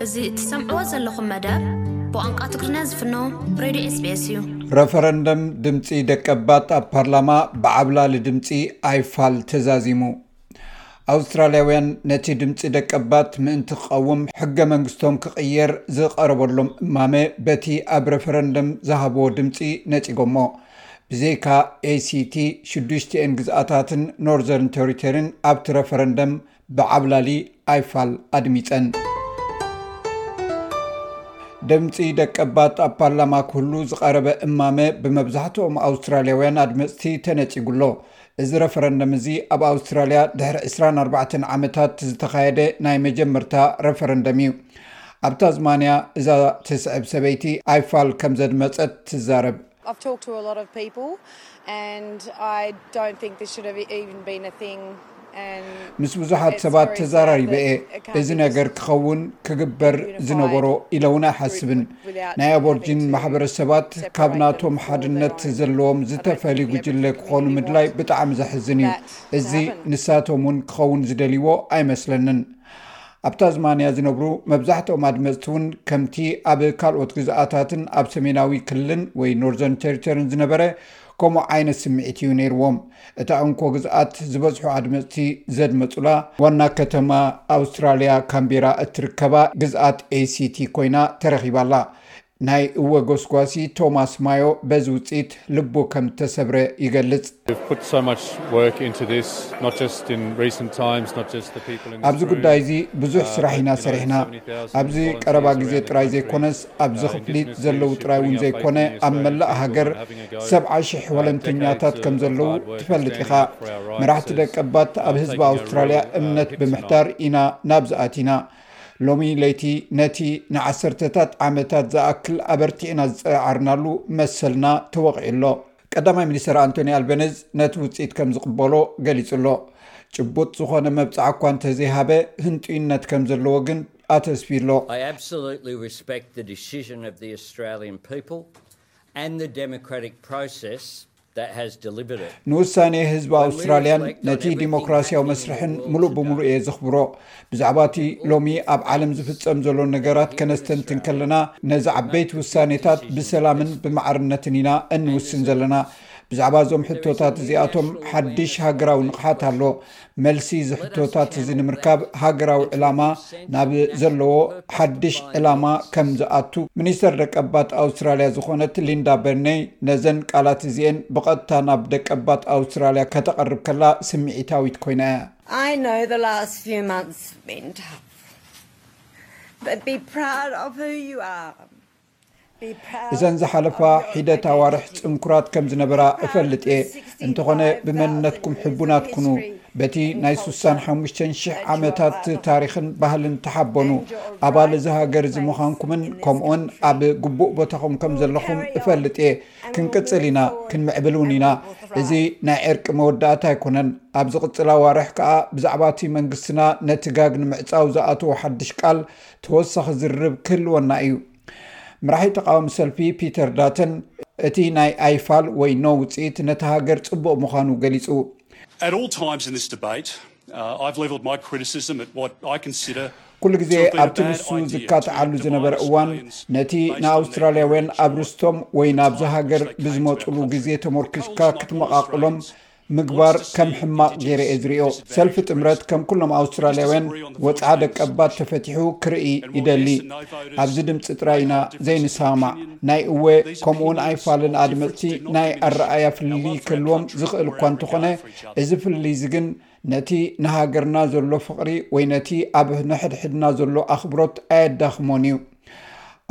እዚ እትሰምዕዎ ዘለኹም መደብ ብቋንቋ ትግርኛ ዝፍኖ ሬድዮ ኤስቢኤስ እዩ። ረፈረንደም ድምፂ ደቀባት ኣብ ፓርላማ ብዓብላሊ ድምፂ ኣይፋል ተዛዚሙ። ኣውስትራልያውያን ነቲ ድምፂ ደቀባት ምእንቲ ክቐውም ሕገ መንግስቶም ክቕየር ዝቐረበሎም እማመ በቲ ኣብ ረፈረንደም ዝሃብዎ ድምፂ ነፂጎሞ። ብዘይካ ኤሲቲ ሽዱሽቲኤን ግዝኣታትን ኖርዘርን ቴሪቶሪን ኣብቲ ረፈረንደም ብዓብላሊ ኣይፋል ኣድሚፀን። ድምፂ ደቀባት ኣብ ፓርላማ ክህሉ ዝቐረበ እማመ ብመብዛሕትኦም ኣውስትራልያውያን ኣድመፅቲ ተነፂጉ ኣሎ። እዚ ረፈረንደም እዚ ኣብ ኣውስትራልያ ድሕሪ ዕስራን ኣርባዕተን ዓመታት ዝተኻየደ ናይ መጀመርታ ረፈረንደም እዩ። ኣብ ታዝማንያ እዛ ትስዕብ ሰበይቲ ኣይፋል ከም ዘድመፀት ትዛረብ። I've talked to a lot of people and I don't think this should have even been a thing. And ምስ ብዙሓት ሰባት ተዛራሪበ እየ። እዚ ነገር ክኸውን ክግበር ዝነበሮ ኢለ እውን ኣይሓስብን። ናይ ኣቦርጂን ማሕበረሰባት ካብ ናቶም ሓድነት ዘለዎም ዝተፈልዩ ጉጅለ ክኾኑ ምድላይ ብጣዕሚ ዘሕዝን እዩ። እዚ ንሳቶም እውን ክኸውን ዝደልይዎ ኣይመስለንን። ኣብ ታዝማንያ ዝነብሩ መብዛሕትኦም ኣድመፅቲ እውን ከምቲ ኣብ ካልኦት ግዝኣታትን ኣብ ሰሜናዊ ክልልን ወይ ኖርዘርን ቴሪቶሪን ዝነበረ ከምኡ ዓይነት ስምዒት እዩ ነይርዎም። እታ እንኮ ግዝኣት ዝበዝሑ ኣድመፅቲ ዘድመፁላ ዋና ከተማ ኣውስትራልያ ካምቤራ እትርከባ ግዝኣት ኤሲቲ ኮይና ተረኺባ ኣላ። ናይ እወ ጎስጓሲ ቶማስ ማዮ በዚ ውፅኢት ልቡ ከም እተሰብረ ይገልፅ። We've put so much work into this, not just in recent times, not just the people in this ኣብዚ ጉዳይ እዚ ብዙሕ ስራሕ ኢና ሰሪሕና። ኣብዚ ቀረባ ግዜ ጥራይ ዘይኮነስ ኣብዚ ክፍሊት ዘለዉ ጥራይ እውን ዘይኮነ ኣብ መላእ ሃገር ሰብዓ ሽሕ ወለንተኛታት ከም ዘለዉ ትፈልጥ ኢኻ። መራሕቲ ደቀባት ኣብ ህዝቢ ኣውስትራልያ እምነት ብምሕዳር ኢና ናብዚ ኣቲና። ሎሚ ለይቲ ነቲ ንዓሰርተታት ዓመታት ዝኣክል ኣበርቲዕና ዝጸዓርናሉ መሰልና ተወቒዑ ኣሎ። ቀዳማይ ሚኒስተር ኣንቶኒ ኣልበነዝ ነቲ ውጽኢት ከም ዝቕበሎ ገሊጹ ኣሎ። ጭቡጥ ዝኾነ መብጽዓ እኳ እንተዘይሃበ ህንጡይነት ከም ዘለዎ ግን ኣተስፊ ኣሎ። I absolutely respect the decision of the Australian people and the democratic process that has delivered it. ንውሳኔ ህዝቢ ኣውስትራልያን ነቲ ዲሞክራሲያዊ መስርሕን ምሉእ ብምሉእ እየ ዘኽብሮ። ብዛዕባ እቲ ሎሚ ኣብ ዓለም ዝፍጸም ዘሎ ነገራት ከነስተንትን ከለና ነዚ ዓበይቲ ውሳኔታት ብሰላምን ብማዕርነትን ኢና እንውስን ዘለና። ብዛዕባ እዞም ሕቶታት እዚኣቶም ሓድሽ ሃገራዊ ንቕሓት ኣሎ። መልሲ እዚ ሕቶታት እዚ ንምርካብ ሃገራዊ ዕላማ ናብ ዘለዎ ሓድሽ ዕላማ ከም ዝኣቱ ሚኒስተር ደቀባት ኣውስትራልያ ዝኾነት ሊንዳ በርኔይ ነዘን ቃላት እዚኤን ብቐጥታ ናብ ደቀባት ኣውስትራልያ ከተቐርብ ከላ ስምዒታዊት ኮይና እያ። I know the last few months have been tough, but be proud of who you are. እዘን ዝሓለፋ ሒደት ኣዋርሕ ጽንኩራት ከም ዝነበራ እፈልጥ እየ። እንተኾነ ብመንነትኩም ሕቡናት ኩኑ። በቲ ናይ ሱሳን ሓሙሽተን ሽሕ ዓመታት ታሪኽን ባህልን ተሓበኑ። ኣባል እዚ ሃገር እዚ ምዃንኩምን ከምኡውን ኣብ ግቡእ ቦታኹም ከም ዘለኹም እፈልጥ እየ። ክንቅጽል ኢና፣ ክንምዕብል እውን ኢና። እዚ ናይ ዕርቂ መወዳእታ ኣይኮነን። ኣብ ዝቕጽል ኣዋርሕ ከኣ ብዛዕባ እቲ መንግስትና ነቲ ጋግ ንምዕጻው ዝኣተዎ ሓድሽ ቃል ተወሳኺ ዝርርብ ክህልወና እዩ። መራሒ ተቓዋሚ ሰልፊ ፒተር ዳተን እቲ ናይ ኣይፋል ወይ ኖ ውፅኢት ነቲ ሃገር ፅቡቕ ምዃኑ ገሊፁ። At all times in this debate, uh, I've levelled my criticism at what I consider ኩሉ ግዜ ኣብቲ ንሱ ዝካትዓሉ ዝነበረ እዋን ነቲ ንኣውስትራልያውያን ኣብ ርስቶም ወይ ናብዚ ሃገር ብዝመፁሉ ግዜ ተመርኪስካ ክትመቓቕሎም ምግባር ከም ሕማቕ ገይረ እየ ዝሪኦ። ሰልፊ ጥምረት ከም ኩሎም ኣውስትራልያውያን ወፅዓ ደቀባት ተፈቲሑ ክርኢ ይደሊ። ኣብዚ ድምፂ ጥራይ ኢና ዘይንሰማማዕ። ናይ እወ ከምኡውን ኣይፋልን ኣድመፅቲ ናይ ኣረኣያ ፍልልይ ክህልዎም ዝኽእል እኳ እንተኾነ እዚ ፍልልይ እዚ ግን ነቲ ንሃገርና ዘሎ ፍቕሪ ወይ ነቲ ኣብ ንሕድሕድና ዘሎ ኣኽብሮት ኣየዳኽሞን እዩ።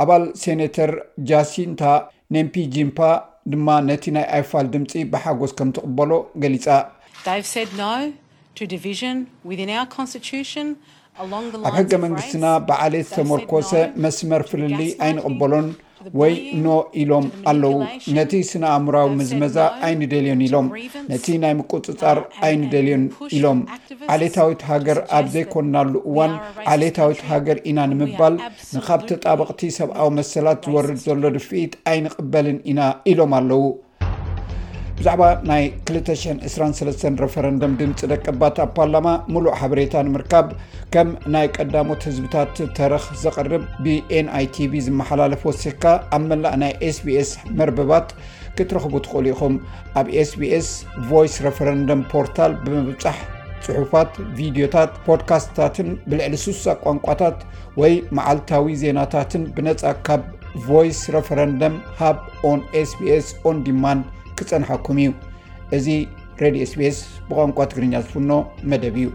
ኣባል ሴኔተር ጃሲንታ ኔምፒጂምፓ ድማ ነቲ ናይ ኣይፋል ድምፂ ብሓጎስ ከም ትቕበሎ ገሊጻ። They've said no to division within our constitution along the ኣብ ሕገ መንግስትና ብዓሌት ዝተመርኮሰ መስመር ፍልልይ ኣይንቕበሎን ወይ ኖ ኢሎም ኣለዉ። ነቲ ስነ ኣእምራዊ ምዝመዛ ኣይንደልዮን ኢሎም፣ ነቲ ናይ ምቁጽጻር ኣይንደልዮን ኢሎም። ዓሌታዊት ሃገር ኣብ ዘይኮንናሉ እዋን ዓሌታዊት ሃገር ኢና ንምባል ንኻብ ተጣበቕቲ ሰብኣዊ መሰላት ዝወርድ ዘሎ ድፍኢት ኣይንቕበልን ኢና ኢሎም ኣለዉ። ብዛዕባ ናይ ክልተ ሽሕን ዕስራን ሰለስተን ረፈረንደም ድምፂ ደቀባት ኣብ ፓርላማ ሙሉእ ሓበሬታ ንምርካብ፣ ከም ናይ ቀዳሞት ህዝብታት ተረኽ ዘቕርብ ብ NITV ዝመሓላለፍ ወሲኽካ ኣብ መላእ ናይ SBS መርበባት ክትረኽቡ ትኽእሉ ኢኹም። ኣብ SBS ቮይስ ረፈረንደም ፖርታል ብምብጻሕ፣ ጽሑፋት፣ ቪድዮታት፣ ፖድካስትታትን ብልዕሊ ስሳ ቋንቋታት ወይ መዓልታዊ ዜናታትን ብነጻ ካብ ቮይስ ረፈረንደም ሃብ ኦን SBS ኦን ዲማንድ ክጸንሓኩም እዩ። እዚ ሬድዮ SBS ብቋንቋ ትግርኛ ዝፍኖ መደብ እዩ።